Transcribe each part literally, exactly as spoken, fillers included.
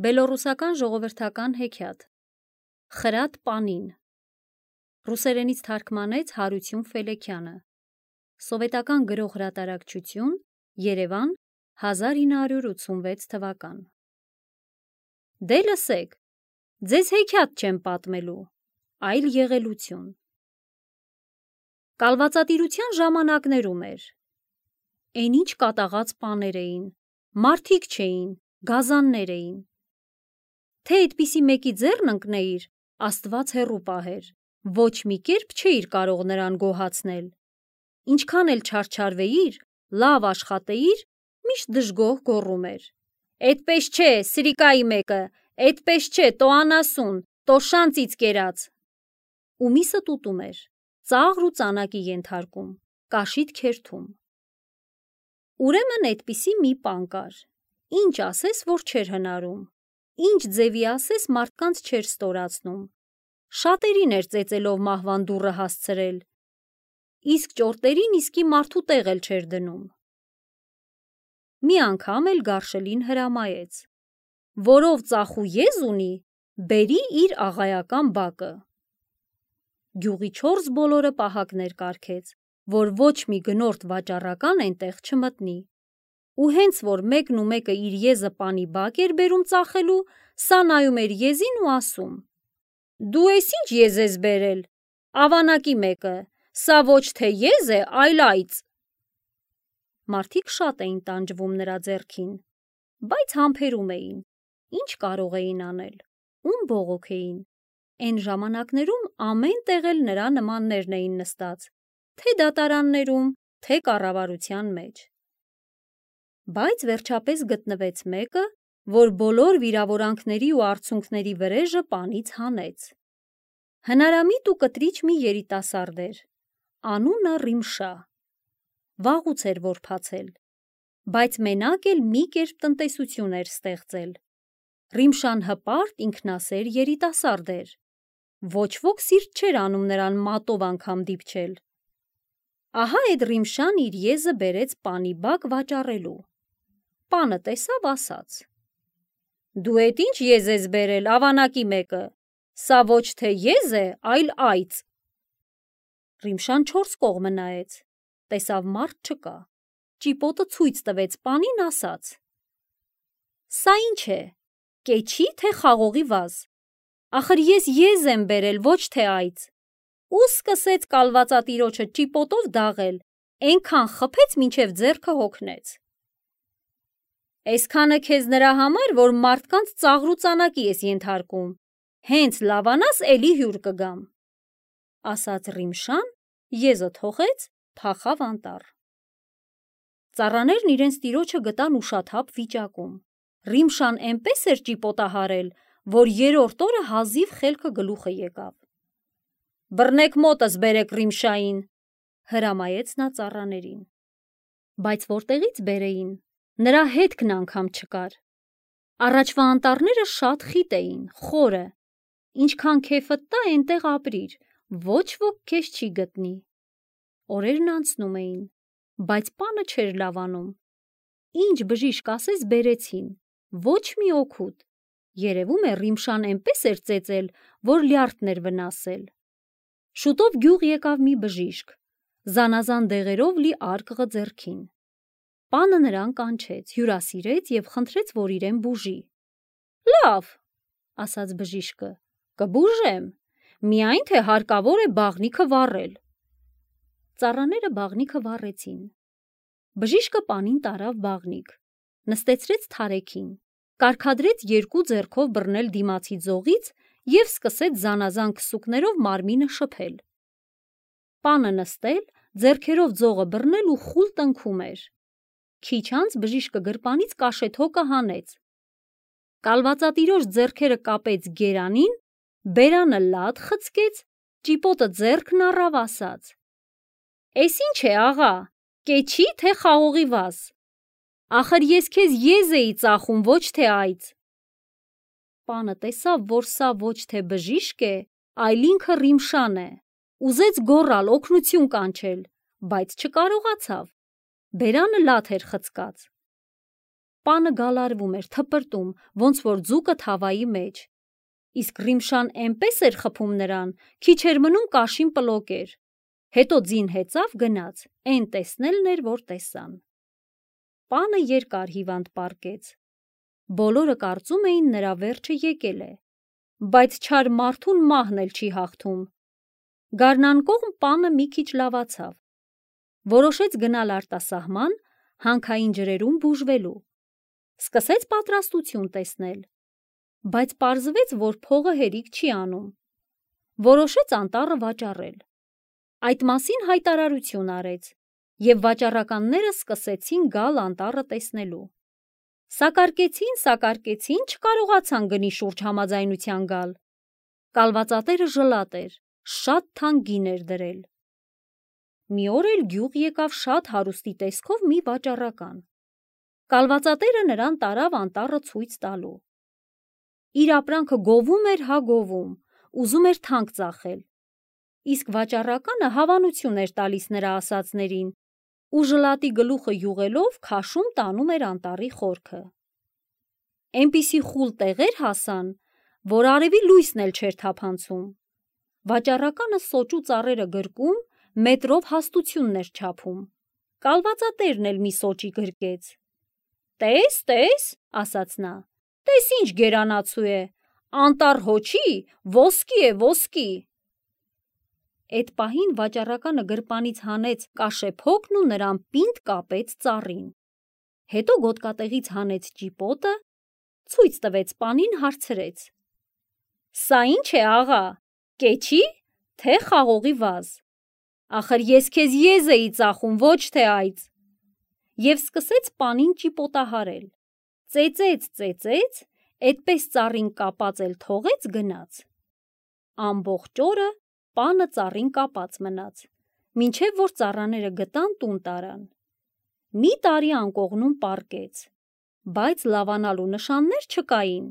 Բելոռուսական ժողովրդական հեքիաթ Խրատ պանին Ռուսերենից թարգմանեց Հարություն Ֆելեքյանը Սովետական գրող հրատարակչություն Երևան հազար ինը հարյուր ութսունվեց թվական Դե լսեք, ձեզ հեքիաթ չեմ պատմելու, այլ եղելություն Կալվածատիրության ժամանակներում էր Էն ինչ կատաղած պաներ էին, մարդիկ չէին, գազաններ էին Թե այդպիսի մեկի ձեռն ընկնեիր, Աստված հեռու պահեր, ոչ մի կերպ չէիր կարող նրան գոհացնել, ինչքան էլ չարչարվեիր, լավ աշխատեիր, միշտ դժգոհ գոռում էր. «Էդպես չէ, սրիկայի մեկը, էդպես չէ, տո անասուն, տո շանծից կերած»։ Ու միսը տուտում էր, ծաղր ու ծանակի ենթարկում, կաշիտ քերթում։ Ուրեմն այդպիսի մի պան կար, ինչ ասես, որ չէր հնարում, ինչ ձևի ասես մարդկանց չէր ստորացնում, շատերին էր ծեծելով մահվան դուռը հասցրել, իսկ ճորտերին իսկի մարդու տեղ էլ չէր դնում։ Մի անգամ էլ գարշելին հրամայեց, որով ծախու եզ ունի, բերի իր աղայական բակը։ Գյուղի չորս բոլորը պահակներ կարգեց, որ ոչ մի գնորդ վաճառական այնտեղ չմտնի։ Ու հենց որ մեկն ու մեկը իր եզը պանի բակ էր բերում ծախելու, սա նայում էր եզին ու ասում. «Դու ես ինչ եզ ես բերել, ավանակի մեկը, սա ոչ թե եզ է, այլ այծ»։ Մարդիկ շատ էին տանջվում նրա ձեռքին, բայց համբերում էին, ինչ կարող էին անել, ում բողոքեին, էն ժամանակներում ամեն տեղ էլ նրա նմաններն էին նստած, թե դատարաններում, թե կառավարության մեջ։ Բայց վերջապես գտնվեց մեկը, որ բոլոր վիրավորանքների ու արցունքների վրեժը պանից հանեց։ Հնարամիտ ու կտրիչ մի երիտասարդ էր, անունը Ռիմշա, վաղուց էր որբացել, բայց մենակ էլ մի կերպ տնտեսություն էր ստեղծել։ Ռիմշան հպարտ, ինքնասեր երիտասարդ էր, ոչ ոք սիրտ չէր անում նրան մատով անգամ դիպչել։ Ահա էդ Ռիմշան իր եզը բերեց պանի բակ վաճառելու։ Պանը տեսավ, ասաց. «Դու էդ ինչ եզ ես բերել, ավանակի մեկը, սա ոչ թե եզ է, այլ այծ»։ Ռիմշան չորս կողմը նայեց, տեսավ մարդ չկա, ճիպոտը ցույց տվեց պանին, ասաց. «Սա ինչ է, կեչի, թե խաղողի վազ, ախր ես եզ եմ բերել, ոչ թե այծ»։ Ու սկսեց կալվածատիրոջը ճիպոտով դաղել, էնքան խփեց, մինչև ձեռքը հոգնեց։ «Էսքանը քեզ նրա համար, որ մարդկանց ծաղր ու ծանակի ես ենթարկում, հենց լավանաս էլի հյուր կգամ», ասաց Ռիմշան, եզը թողեց, փախավ անտառ։ Ծառաներն իրենց տիրոջը գտան ուշաթափ վիճակում։ Ռիմշան էնպես էր ճիպոտահարել, որ երրորդ օրը հազիվ խելքը գլուխը եկավ։ «Բռնեք մոտս բերեք Ռիմշային», հրամայեց նա ծառաներին։ Բայց որտեղից բերեին, նրա հետքն անգամ չկար։ Առաջվա անտառները շատ խիտ էին, խորը, ինչքան քեֆդ տա, էնտեղ ապրիր, ոչ ոք քեզ չի գտնի։ Օրերն անցնում էին, բայց պանը չէր լավանում։ Ինչ բժիշկ ասես բերեցին, ոչ մի օգուտ։ Երևում է Ռիմշան էնպես էր ծեծել, որ լյարդն էր վնասել։ Շուտով գյուղ եկավ մի բժիշկ, զանազան դեղերով լի արկղը ձեռքին։ Պանը նրան կանչեց, հյուրասիրեց և խնդրեց, որ իրեն բուժի։ «Լավ», ասաց բժիշկը, «կբուժեմ, միայն թե հարկավոր է բաղնիքը վառել»։ Ծառաները բաղնիքը վառեցին։ Բժիշկը պանին տարավ բաղնիք, նստեցրեց թարեքին, կարգադրեց երկու ձեռքով բռնել դիմացի ձողից և սկսեց զանազան քսուկներով մարմինը շփել։ Պանը նստել, ձեռքերով ձողը բռնել ու խուլ տնքում էր։ Քիչ անց բժիշկը գրպանից կաշեթոկը հանեց։ Կալվածատիրոջ ձեռքերը կապեց գերանին, բերանը լադ խցկեց, ճիպոտը ձեռքն առավ, ասաց. «Էս ինչ է, աղա, կեչի, թե խաղողի վազ, ախր ես քեզ եզ էի ծախում, ոչ թե այծ»։ Պանը տեսավ, որ սա ոչ թե բժիշկ է, այլ ինքը Ռիմշան է, ուզեց գոռալ, օգնություն կանչել, բայց չկարողացավ, բերանը լադ էր խցկած։ Պանը գալարվում էր, թպրտում, ոնց որ ձուկը թավայի մեջ։ Իսկ Ռիմշան էնպես էր խփում նրան, քիչ էր մնում կաշին պլոկեր։ Հետո ձին հեծավ գնաց, էն տեսնելն էր, որ տեսան։ Պանը երկար հիվանդ պառկեց։ Բոլորը կարծում էին նրա վերջը եկել է, բայց չար մարդուն մահն էլ չի հաղթում։ Գարնան կողմ պանը մի քիչ լավացավ։ Որոշեց գնալ արտասահման, հանքային ջրերում բուժվելու։ Սկսեց պատրաստություն տեսնել, բայց պարզվեց, որ փողը հերիք չի անում։ Որոշեց անտառը վաճառել։ Այդ մասին հայտարարություն արեց, և վաճառականները սկսեցին գալ անտառը տեսնելու։ Սակարկեցին, սակարկեցին, չկարողացան գնի շուրջ համաձայնության գալ։ Կալվածատերը ժլատ էր, շատ թանկ գին էր դրել։ Մի օր էլ գյուղ եկավ շատ հարուստի տեսքով մի վաճառական։ Կալվածատերը նրան տարավ անտառը ցույց տալու։ Իր ապրանքը գովում էր հա գովում, ուզում էր թանկ ծախել։ Իսկ վաճառականը հավանություն էր տալիս նրա ասածներին ու ժլատի գլուխը յուղելով քաշում տանում էր անտառի խորքը։ Էնպիսի խուլ տեղեր հասան, որ արևի լույսն էլ չէր թափանցում։ Վաճառականը սոճու ծառերը գրկում, մետրով հաստությունն էր չափում։ Կալվածատերն էլ մի սոճի գրկեց։ «Տես, տես», ասաց նա, «տես ինչ գերանացու է, անտառ հոչի, ոսկի է, ոսկի»։ Էդ պահին վաճառականը գրպանից հանեց կաշեփոկն ու նրան պինդ կապեց ծառին։ Հետո գոտկատեղից հանեց ճիպոտը, ցույց տվեց պանին, հարցրեց. «Սա ինչ է, աղա, կեչի, թե խաղողի վազ։ Ախր ես քեզ եզ էի ծախում, ոչ թե այծ»։ Եվ սկսեց պանին ճիպոտահարել։ Ծեծեց, ծեծեց, էդպես ծառին կապած էլ թողեց, գնաց։ Ամբողջ օրը պանը ծառին կապած մնաց, մինչև որ ծառաները գտան, տուն տարան։ Մի տարի անկողնում պառկեց, բայց լավանալու նշաններ չկային։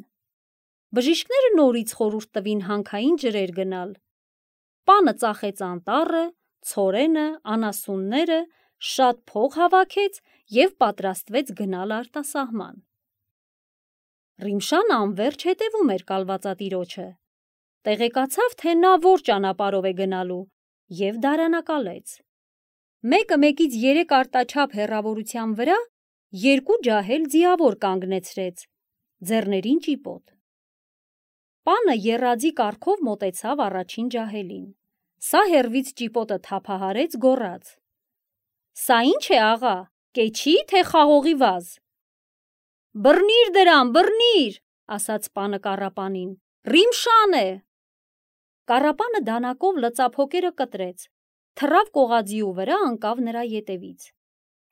Բժիշկները նորից խորհուրդ տվին հանքային ջրեր գնալ։ Պանը ծախեց անտառը, ցորենը, անասունները, շատ փող հավաքեց և պատրաստվեց գնալ արտասահման։ Ռիմշան անվերջ հետևում էր կալվածատիրոջը։ Տեղեկացավ, թե նա որ ճանապարհով է գնալու, և դարանակալեց։ Մեկը մեկից երեք արտաչափ հեռավորության վրա երկու ջահել ձիավոր կանգնեցրեց, ձեռներին ճիպոտ։ Պանը եռաձի կարգով մոտեցավ առաջին ջահելին։ Սա հեռվից ճիպոտը թափահարեց, գոռաց. «Սա ինչ է, աղա, կեչի, թե խաղողի վազ»։ «Բռնիր դրան, բռնիր», ասաց պանը կառապանին, «Ռիմշան է»։ Կառապանը դանակով լծափոկերը կտրեց, թռավ կողազիու վրա, ընկավ նրա ետևից։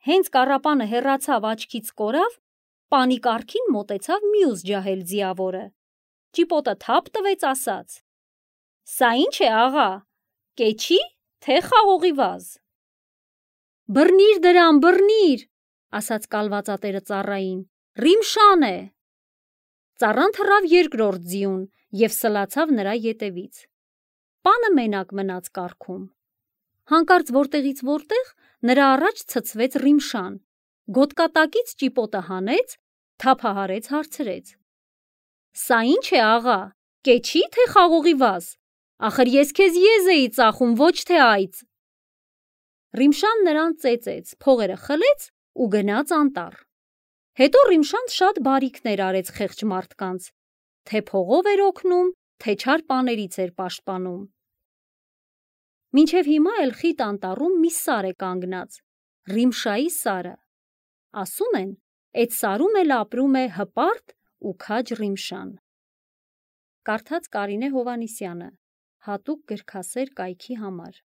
Հենց կառապանը հեռացավ, աչքից կորավ, պանի կառքին մոտեցավ մյուս ջահել ձիավորը։ Ճիպոտը թափ տվեց, ասաց. «Սա ինչ է, աղա, կեչի, թե խաղողի վազ»։ «Բռնիր դրան, բռնիր», ասաց կալվածատերը ծառային, «Ռիմշան է»։ Ծառան թռավ երկրորդ ձիուն և սլացավ նրա ետևից։ Պանը մենակ մնաց կառքում։ Հանկարծ որտեղից որտեղ նրա առաջ ցցվեց Ռիմշան, գոտկատակից ճիպոտը հանեց, թափահարեց, հարցրեց. «Սա ինչ է, աղա, կեչի, թե խաղողի վազ։ Ախր ես քեզ եզ էի ծախում, ոչ թե այծ»։ Ռիմշան նրան ծեծեց, փողերը խլեց ու գնաց անտառ։ Հետո Ռիմշան շատ բարիքներ արեց խեղճ մարդկանց, թե փողով էր օգնում, թե չար պաներից էր պաշտպանում։ Մինչև հիմա էլ խիտ անտառում մի սար է կանգնած, Ռիմշայի սարը։ Ասում են, էդ սարում էլ ապրում է հպարտ ու քաջ Ռիմշան։ Կարդաց Կարինե Հովհաննիսյանը, հատուկ գրքասեր կայքի համար։